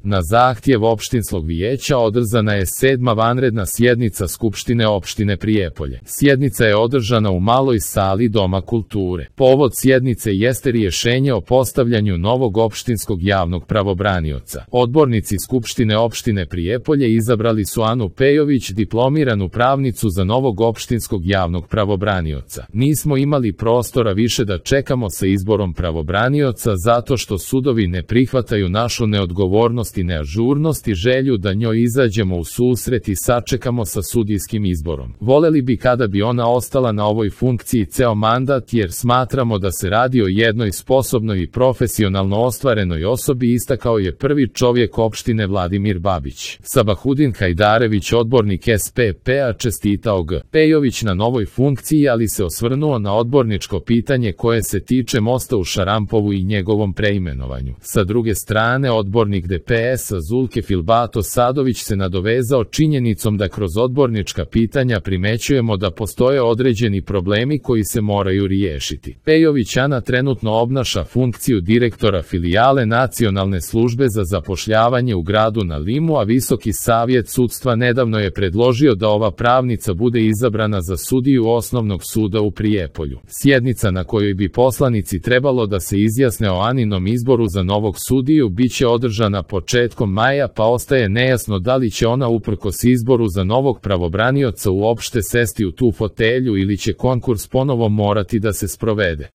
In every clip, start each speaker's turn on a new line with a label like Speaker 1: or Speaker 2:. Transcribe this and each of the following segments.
Speaker 1: Na zahtjev opštinskog vijeća održana je 7. vanredna sjednica Skupštine opštine Prijepolje. Sjednica je održana u maloj sali Doma kulture. Povod sjednice jeste rješenje o postavljanju novog opštinskog javnog pravobranioca. Odbornici Skupštine opštine Prijepolje izabrali su Anu Pejović, diplomiranu pravnicu, za novog opštinskog javnog pravobranioca. Nismo imali prostora više da čekamo sa izborom pravobranioca zato što sudovi ne prihvataju našu neodgovornost i neažurnost i želju da njoj izađemo u susret i sačekamo sa sudijskim izborom. Voleli bi kada bi ona ostala na ovoj funkciji ceo mandat, jer smatramo da se radi o jednoj sposobnoj i profesionalno ostvarenoj osobi, istakao je prvi čovjek opštine Vladimir Babić. Sabahudin Hajdarević, odbornik SPP-a, čestitao G. Pejović na novoj funkciji, ali se osvrnuo na odborničko pitanje koje se tiče mosta u Šarampovu i njegovom preimenovanju. Sa druge strane, odbornik DPS-a Zulke Filbato Sadović se nadovezao činjenicom da kroz odbornička pitanja primećujemo da postoje određeni problemi koji se moraju riješiti. Pejović Ana trenutno obnaša funkciju direktora filijale Nacionalne službe za zapošljavanje u gradu na Limu, a Visoki savjet sudstva nedavno je predložio da ova pravnica bude izabrana za sudiju Osnovnog suda u Prijepolju. Sjednica na kojoj bi poslanici trebalo da se izjasne o Aninom izboru za novog sudiju biće održana početkom maja, pa ostaje nejasno da li će ona uprkos izboru za novog pravobranioca uopšte sesti u tu fotelju ili će konkurs ponovo morati da se sprovede.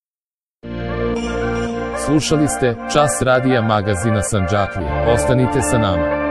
Speaker 1: Slušali ste Čas radija magazina Sandžaklije. Ostanite sa nama.